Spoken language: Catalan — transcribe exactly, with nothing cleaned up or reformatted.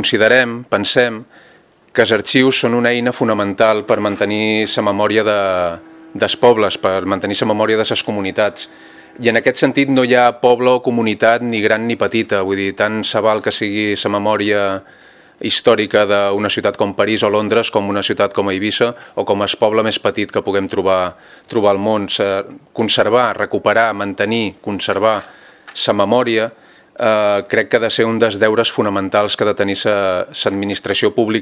considerem, pensem, que els arxius són una eina fonamental per mantenir la memòria de, dels pobles, per mantenir la memòria de les comunitats. I en aquest sentit no hi ha poble o comunitat ni gran ni petita, vull dir, tant se val que sigui la memòria històrica d'una ciutat com París o Londres, com una ciutat com Eivissa o com el poble més petit que puguem trobar, trobar al món. Conservar, recuperar, mantenir, conservar la memòria eh, crec que ha de ser un dels deures fonamentals que ha de tenir l'administració pública